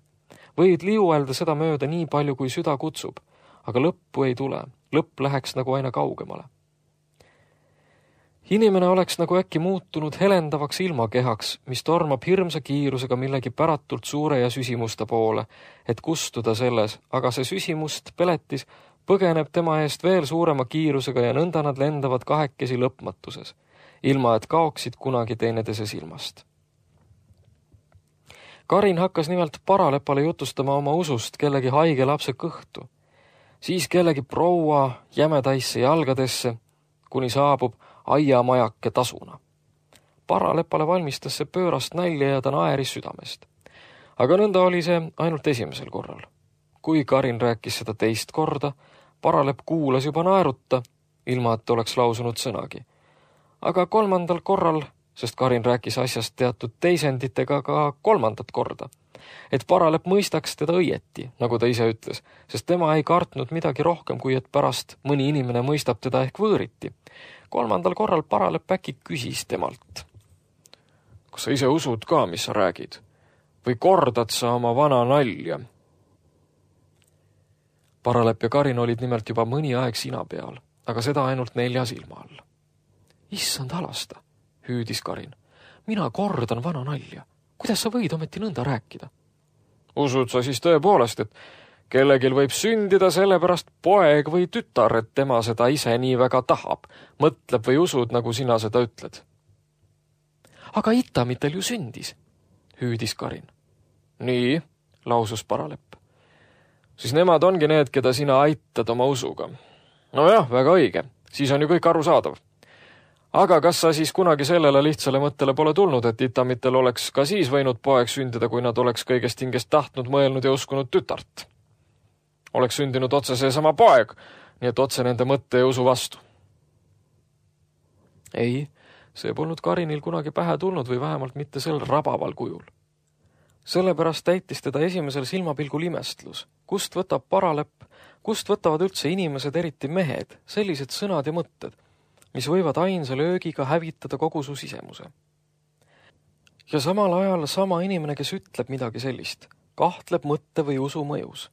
Võid liuelda seda mööda nii palju, kui süda kutsub, aga lõppu ei tule, lõpp läheks nagu aina kaugemale. Inimene oleks nagu äkki muutunud helendavaks ilmakehaks, mis tormab hirmsa kiirusega millegi päratult suure ja süsimusta poole, et kustuda selles, aga see süsimust peletis põgeneb tema eest veel suurema kiirusega ja nõnda nad lendavad kahekesi lõpmatuses, ilma et kaoksid kunagi teineteise silmast. Karin hakkas nimelt Paralepale jutustama oma usust kellegi haige lapse kõhtu, siis kellegi proua jämedaisse jalgadesse, kuni saabub aiamajake tasuna. Paralepale valmistas see pöörast nälja ja ta naeris südamest. Aga nõnda oli see ainult esimesel korral. Kui Karin rääkis seda teist korda, Paralepp kuulas juba naerutta, ilma et oleks lausunud sõnagi. Aga kolmandal korral, sest Karin rääkis asjast teatud teisenditega ka kolmandat korda, et Paralepp mõistaks teda õieti, nagu ta ise ütles, sest tema ei kartnud midagi rohkem, kui et pärast mõni inimene mõistab teda ehk võõriti. Kolmandal korral Paralepp äkki küsis temalt. Kas sa ise usud ka, mis sa räägid? Või kordad sa oma vana nalja? Paralepp ja Karin olid nimelt juba mõni aeg sina peal, aga seda ainult nelja silma all. Issand halasta, hüüdis Karin. Mina kordan vana nalja. Kuidas sa võid ometi nõnda rääkida? Usud sa siis tõepoolest, et kellegil võib sündida sellepärast poeg või tütar, et tema seda ise nii väga tahab, mõtleb või usud, nagu sina seda ütled? Aga Itamitel ju sündis, hüüdis Karin. Nii, lausus Paralepp. Siis nemad ongi need, keda sina aitad oma usuga. No jah, väga õige. Siis on ju kõik arusaadav. Aga kas sa siis kunagi sellele lihtsale mõttele pole tulnud, et Itamitel oleks ka siis võinud poeg sündida, kui nad oleks kõigest hingest tahtnud, mõelnud ja uskunud tütart? Oleks sündinud otse seesama poeg, nii et otse nende mõtte ja usu vastu. Ei, see polnud Karinil kunagi pähe tulnud või vähemalt mitte sel rabaval kujul. Sellepärast täitis teda esimesel silmapilgul imestlus. Kust võtab paralepp, kust võtavad üldse inimesed, eriti mehed, sellised sõnad ja mõtted, mis võivad ainsa löögiga hävitada kogu su sisemuse. Ja samal ajal sama inimene, kes ütleb midagi sellist, kahtleb mõtte või usu mõjus.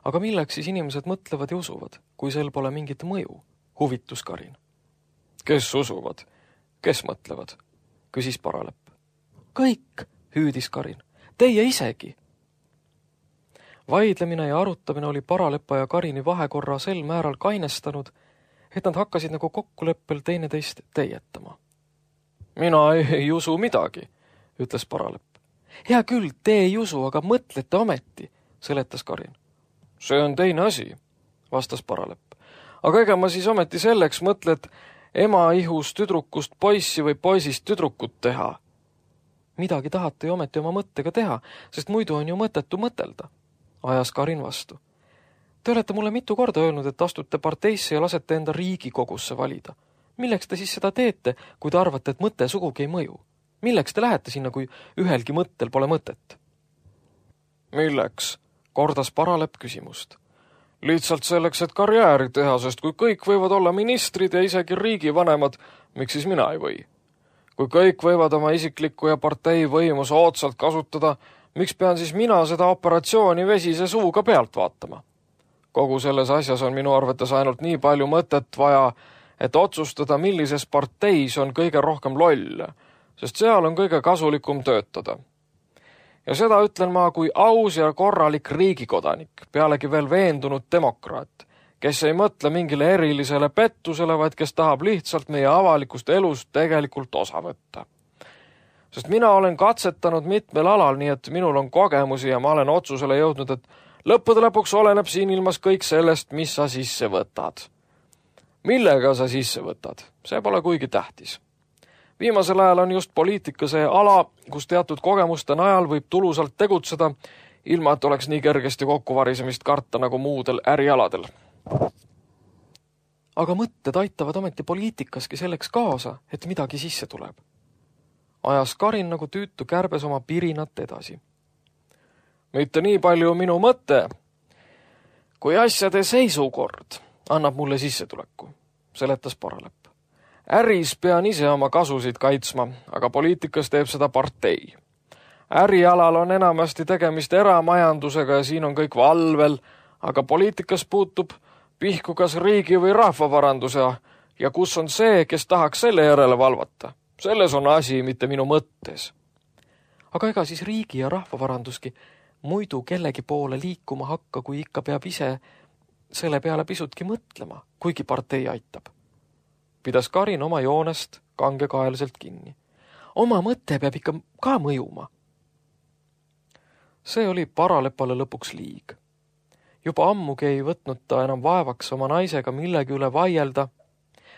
Aga milleks siis inimesed mõtlevad ja usuvad, kui sel pole mingit mõju? Huvitus Karin. Kes usuvad? Kes mõtlevad? Küsis paralepp. Kõik, hüüdis Karin. Teie isegi. Vaidlemine ja arutamine oli paralepa ja Karini vahekorra sel määral kainestanud, et nad hakkasid nagu kokkuleppel teineteist teietama. Mina ei, ei usu midagi, ütles paralepp. Hea küll, te ei usu, aga mõtlete ometi, seletas Karin. See on teine asi, vastas paralepp. Aga ega ma siis ometi selleks mõtle, et ema ihus tüdrukust poissi või poisist tüdrukut teha. Midagi tahate ju ometi oma mõttega teha, sest muidu on ju mõtetu mõtelda, ajas Karin vastu. Te olete mulle mitu korda öelnud, et astute parteisse ja lasete enda Riigikogusse valida. Milleks te siis seda teete, kui te arvate, et mõte sugugi ei mõju? Milleks te lähete sinna, kui ühelgi mõttel pole mõtet? Milleks? Kordas paralepp küsimust. Lihtsalt selleks, et karjääri teha, sest kui kõik võivad olla ministrid ja isegi riigivanemad, miks siis mina ei või? Kui kõik võivad oma isiklikku ja partei võimu soodsalt kasutada, miks pean siis mina seda operatsiooni vesise suuga pealt vaatama? Kogu selles asjas on minu arvates ainult nii palju mõtet vaja, et otsustada, millises parteis on kõige rohkem lolle, sest seal on kõige kasulikum töötada. Ja seda ütlen ma kui aus ja korralik riigikodanik, pealegi veel veendunud demokraat, kes ei mõtle mingile erilisele pettusele, vaid kes tahab lihtsalt meie avalikust elust tegelikult osa võtta. Sest mina olen katsetanud mitmel alal, nii et minul on kogemusi ja ma olen otsusele jõudnud, et lõppude lõpuks oleneb siin ilmas kõik sellest, mis sa sisse võtad. Millega sa sisse võtad? See pole kuigi tähtis. Viimasel ajal on just poliitika see ala, kus teatud kogemuste najal võib tulusalt tegutseda, ilma et oleks nii kergesti kokkuvarisemist karta nagu muudel ärialadel. Aga mõtted aitavad ometi poliitikaski selleks kaasa, et midagi sisse tuleb. Ajas Karin nagu tüütu kärbes oma pirinat edasi. Mitte nii palju minu mõte, kui asjade seisukord annab mulle sissetuleku, seletas paralepp. Äris pean ise oma kasusid kaitsma, aga poliitikas teeb seda partei. Ärialal on enamasti tegemist eramajandusega ja siin on kõik valvel, aga poliitikas puutub pihku kas riigi või rahvavaranduse ja kus on see, kes tahaks selle järele valvata. Selles on asi, mitte minu mõttes. Aga ega siis riigi ja rahvavaranduski muidu kellegi poole liikuma hakka, kui ikka peab ise selle peale pisutki mõtlema, kuigi partei aitab. Pidas Karin oma joonest kangekaelselt kinni. Oma mõte peab ikka ka mõjuma. See oli paralepale lõpuks liig. Juba ammugi ei võtnud ta enam vaevaks oma naisega millegi üle vaielda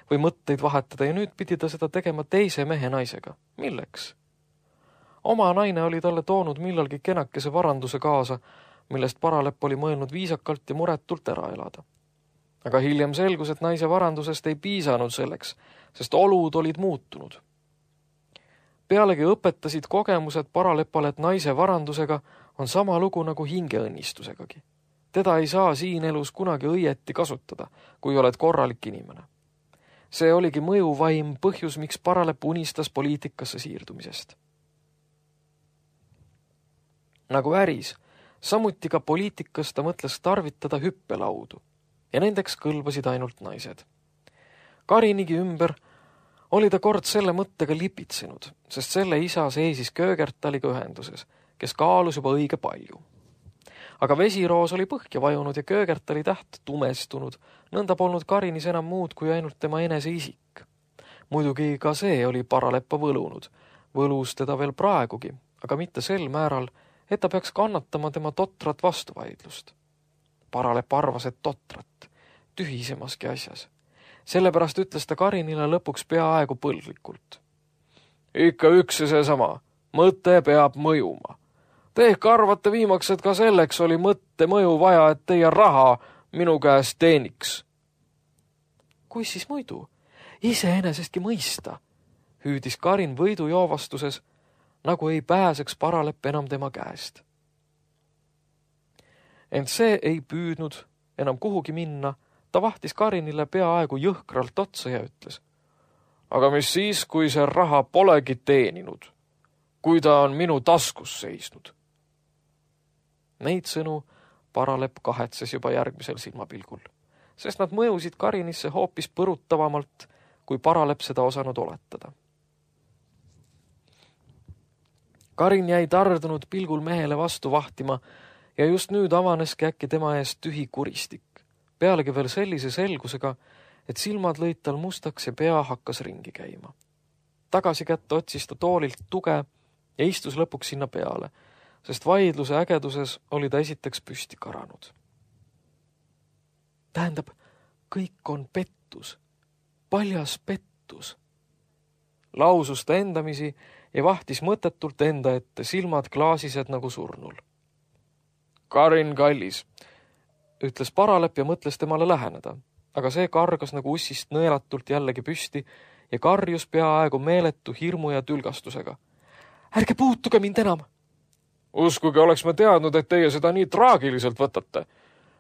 või mõtteid vahetada ja nüüd pidi ta seda tegema teise mehe naisega. Milleks? Oma naine oli talle toonud millalgi kenakese varanduse kaasa, millest paralepp oli mõelnud viisakalt ja muretult ära elada. Aga hiljem selgus, et naise varandusest ei piisanud selleks, sest olud olid muutunud. Pealegi õpetasid kogemused paralepale, et naise varandusega on sama lugu nagu hingeõnnistusegagi. Teda ei saa siin elus kunagi õieti kasutada, kui oled korralik inimene. See oligi mõjuvaim põhjus, miks paralepp unistas poliitikasse siirdumisest. Nagu äris, samuti ka poliitikas ta mõtles tarvitada hüppelaudu ja nendeks kõlbasid ainult naised. Karinigi ümber oli ta kord selle mõttega lipitsenud, sest selle isa seisis Köögertaliga ühenduses, kes kaalus juba õige palju. Aga vesiroos oli põhja vajunud ja Köögertali täht tumestunud, nõnda polnud Karinis enam muud kui ainult tema enese isik. Muidugi ka see oli paraleppa võlunud, võlus teda veel praegugi, aga mitte sel määral, et ta peaks kannatama tema totrat vastuvaidlust. Paralepp arvas, et totrat, tühisemaski asjas. Sellepärast ütles ta Karinile lõpuks peaaegu põlglikult. Ikka üks ja seesama, mõte peab mõjuma. Te ehk arvate viimaks, et ka selleks oli mõtte mõju vaja, et teie raha minu käest teeniks. Kui siis muidu? Iseenesestki mõista, hüüdis Karin võidujoovastuses, nagu ei pääseks Paralepp enam tema käest. Ent see ei püüdnud enam kuhugi minna, ta vahtis Karinile peaaegu jõhkralt otsa ja ütles. Aga mis siis, kui see raha polegi teeninud, kui ta on minu taskus seisnud? Neid sõnu Paralepp kahetses juba järgmisel silmapilgul, sest nad mõjusid Karinisse hoopis põrutavamalt, kui Paralepp seda osanud oletada. Karin jäi tardunud pilgul mehele vastu vahtima ja just nüüd avaneski äkki tema eest tühi kuristik, pealegi veel sellise selgusega, et silmad lõid tal mustaks ja pea hakkas ringi käima. Tagasi kätte otsis ta toolilt tuge ja istus lõpuks sinna peale, sest vaidluse ägeduses oli ta esiteks püsti karanud. Tähendab, kõik on pettus, paljas pettus. Lausus ta endamisi ja vahtis mõttetult enda ette, silmad klaasised nagu surnul. Karin kallis, ütles Paralepp ja mõtles temale läheneda, aga see kargas nagu ussist nõelatult jällegi püsti ja karjus peaaegu meeletu hirmu ja tülgastusega. Ärge puutuge mind enam! Uskuge, oleks me teadnud, et teie seda nii traagiliselt võtate.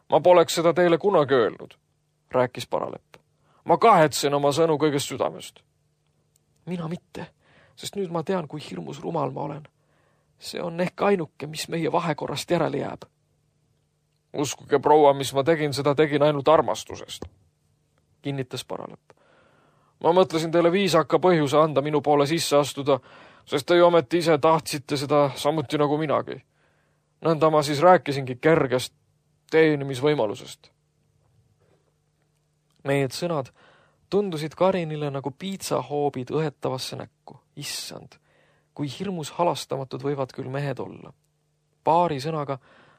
Ma poleks seda teile kunagi öelnud, rääkis Paralepp. Ma kahetsen oma sõnu kõigest südamest. Mina mitte, sest nüüd ma tean, kui hirmus rumal ma olen. See on ehk ainuke, mis meie vahekorrast järele jääb. Uskuge, proua, mis ma tegin, seda tegin ainult armastusest, kinnitas Paralepp. Ma mõtlesin teile viisaka põhjuse anda minu poole sisse astuda, sest te ju ometi ise tahtsite seda samuti nagu minagi. Nõnda ma siis rääkisingi kergest teenimisvõimalusest. Need sõnad tundusid Karinile nagu piitsahoobid õhetavasse näkku. Issand, kui hirmus halastamatud võivad küll mehed olla. Paari sõnaga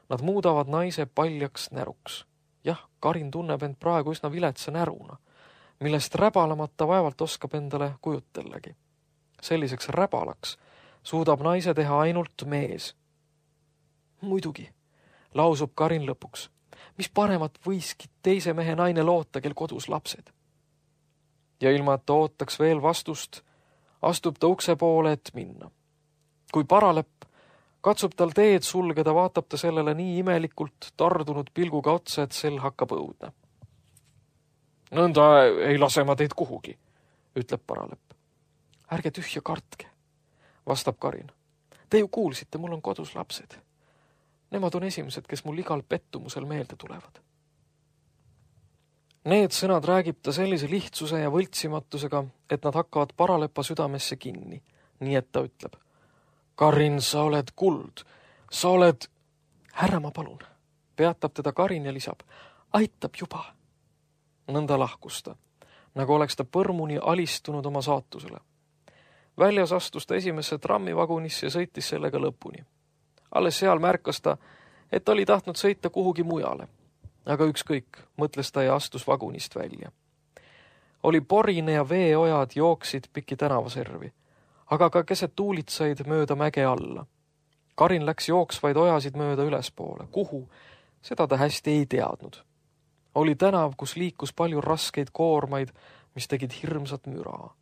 nad muudavad naise paljaks näruks. Jah, Karin tunneb end praegu üsna viletsa näruna, millest räbalamata vaevalt oskab endale kujutellagi. Selliseks räbalaks suudab naise teha ainult mees. Muidugi, lausub Karin lõpuks, mis paremat võiski teise mehe naine loota, kel kodus lapsed. Ja ilma, et ta ootaks veel vastust, astub ta ukse poole, et minna. Kui Paralepp katsub tal teed sulgeda, vaatab ta sellele nii imelikult tardunud pilguga otsa, et sel hakkab õudne. Nõnda ei lase ma teid kuhugi, ütleb Paralepp. Ärge tühja kartke, vastab Karin. Te ju kuulsite, mul on kodus lapsed. Nemad on esimesed, kes mul igal pettumusel meelde tulevad. Need sõnad räägib ta sellise lihtsuse ja võltsimatusega, et nad hakkavad Paralepa südamesse kinni, nii et ta ütleb. Karin, sa oled kuld, sa oled... Härra, ma palun, peatab teda Karin ja lisab. Aitab juba. Nõnda lahkus ta, nagu oleks ta põrmuni alistunud oma saatusele. Väljas astus ta esimesse trammivagunisse ja sõitis sellega lõpuni. Alles seal märkas ta, et oli tahtnud sõita kuhugi mujale. Aga ükskõik, mõtles ta ja astus vagunist välja. Oli porine ja veeojad jooksid piki tänavaservi, aga ka keset tuulitsaid mööda mäge alla. Karin läks jooksvaid ojasid mööda ülespoole. Kuhu? Seda ta hästi ei teadnud. Oli tänav, kus liikus palju raskeid koormaid, mis tegid hirmsat müraa.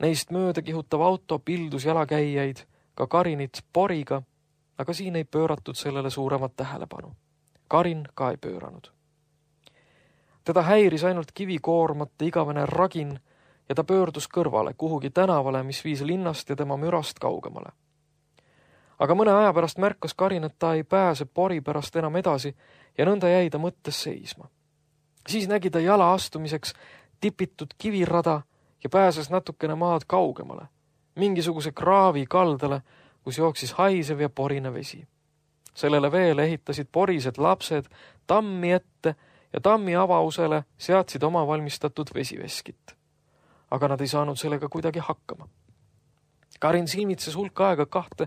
Neist mööda kihutav auto pildus jalakäijaid, ka Karinit poriga, aga siin ei pööratud sellele suuremat tähelepanu. Karin ka ei pööranud. Teda häiris ainult kivikoormate igavene ragin ja ta pöördus kõrvale kuhugi tänavale, mis viis linnast ja tema mürast kaugemale. Aga mõne aja pärast märkas Karin, et ta ei pääse pori pärast enam edasi ja nõnda jäi ta mõttes seisma. Siis nägi ta jala astumiseks tipitud kivirada ja pääses natukene maad kaugemale, mingisuguse kraavi kaldale, kus jooksis haisev ja porine vesi. Sellele veele ehitasid porised lapsed tammi ette ja tammi avausele seadsid oma valmistatud vesiveskit. Aga nad ei saanud sellega kuidagi hakkama. Karin silmitses hulk aega kahte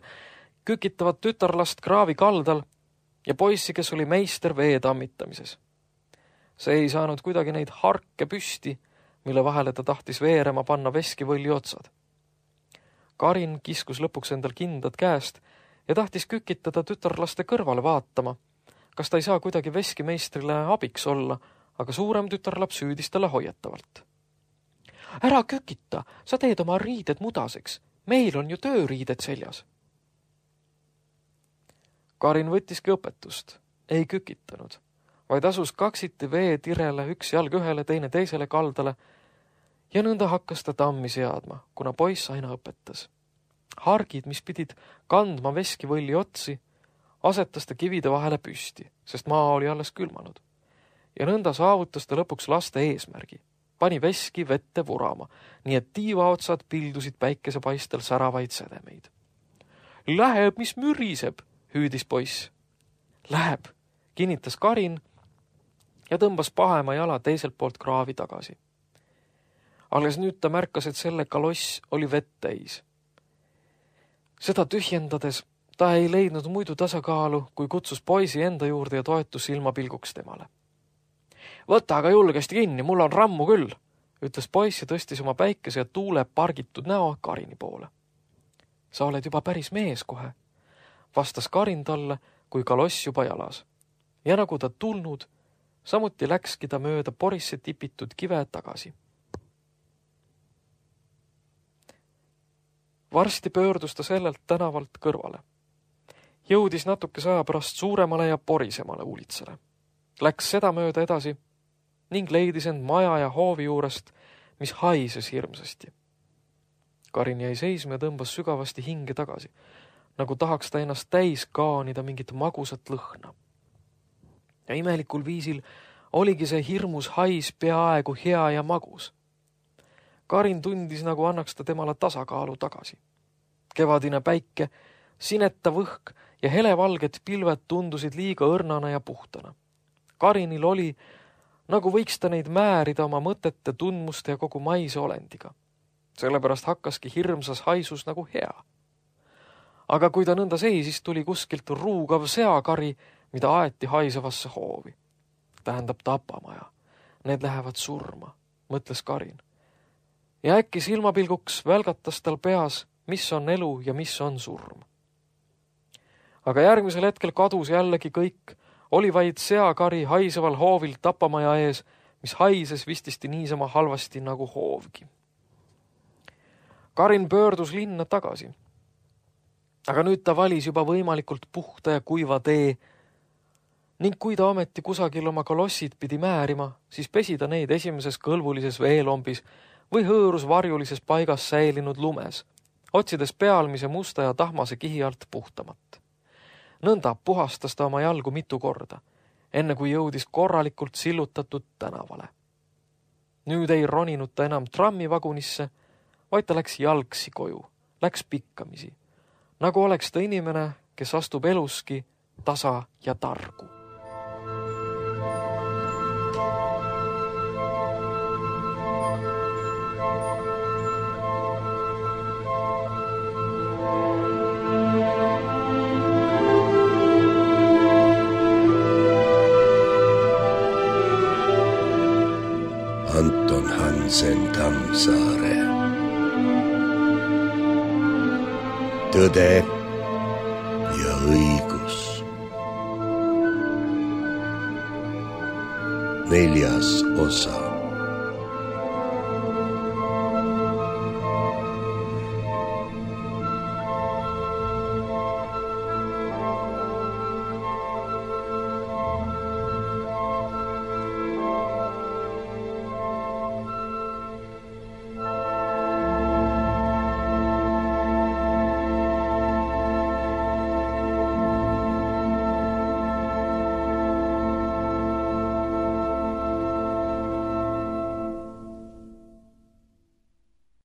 kükitavat tütarlast kraavi kaldal ja poissi, kes oli meister vee tammitamises. See ei saanud kuidagi neid harke püsti, mille vahele ta tahtis veerema panna veskivõlli otsad. Karin kiskus lõpuks endal kindad käest ja tahtis kükitada tütarlaste kõrvale vaatama, kas ta ei saa kuidagi veskimeistrile abiks olla, aga suurem tütarlaps hüüdis talle hoiatavalt. Ära kükita, sa teed oma riided mudaseks, meil on ju tööriided seljas. Karin võttiski õpetust, ei kükitanud, vaid asus kaksiti vee tirele üks jalg ühele, teine teisele kaldale ja nõnda hakkas ta tammi seadma, kuna poiss aina õpetas. Hargid, mis pidid kandma veskivõlli otsi, asetas ta kivide vahele püsti, sest maa oli alles külmanud. Ja nõnda saavutas ta lõpuks laste eesmärgi. Pani veski vette vurama, nii et tiivaotsad pildusid päikesepaistel säravaid sedemeid. Läheb, mis müriseb, hüüdis poiss. Läheb, kinnitas Karin ja tõmbas pahema jala teiselt poolt kraavi tagasi. Alles nüüd ta märkas, et selle kaloss oli vett täis. Seda tühjendades ta ei leidnud muidu tasakaalu, kui kutsus poisi enda juurde ja toetus silmapilguks temale. Võta aga julgesti kinni, mul on rammu küll, ütles poiss ja tõstis oma päikese ja tuule pargitud näo Karini poole. Sa oled juba päris mees kohe, vastas Karin talle, kui kaloss juba jalas. Ja nagu ta tulnud, samuti läkski ta mööda porisse tipitud kive tagasi. Varsti pöördus ta sellelt tänavalt kõrvale. Jõudis natuke saja pärast suuremale ja porisemale ulitsale. Läks seda mööda edasi ning leidis end maja ja hoovi juurest, mis haises hirmsasti. Karin jäi seisma ja tõmbas sügavasti hinge tagasi, nagu tahaks ta ennast täis kaanida mingit magusat lõhna. Ja imelikul viisil oligi see hirmus hais peaaegu hea ja magus. Karin tundis, nagu annaks ta temale tasakaalu tagasi. Kevadine päike, sineta võhk ja helevalged pilved tundusid liiga õrnana ja puhtana. Karinil oli, nagu võiks ta neid määrida oma mõtete, tundmuste ja kogu maise olendiga. Sellepärast hakkaski hirmsas haisus nagu hea. Aga kui ta nõnda seisis, tuli kuskilt ruugav seakari, mida aeti haisevasse hoovi. Tähendab tapamaja. Need lähevad surma, mõtles Karin. Ja äkki silmapilguks välgatas tal peas, mis on elu ja mis on surm. Aga järgmisel hetkel kadus jällegi kõik, oli vaid seakari haiseval hoovil tapamaja ees, mis haises vististi niisama halvasti nagu hoovgi. Karin pöördus linna tagasi. Aga nüüd ta valis juba võimalikult puhta ja kuiva tee ning kui ta ometi kusagil oma kolossid pidi määrima, siis pesi ta neid esimeses kõlvulises veelombis või hõõrus varjulises paigas säilinud lumes, otsides pealmise musta ja tahmase kihi alt puhtamat. Nõnda puhastas ta oma jalgu mitu korda, enne kui jõudis korralikult sillutatud tänavale. Nüüd ei roninud ta enam trammivagunisse, vaid ta läks jalgsi koju, läks pikkamisi, nagu oleks ta inimene, kes astub eluski tasa ja targu. Anton Hansen Tammsaare. Tõde ja õigus. Neljas osa.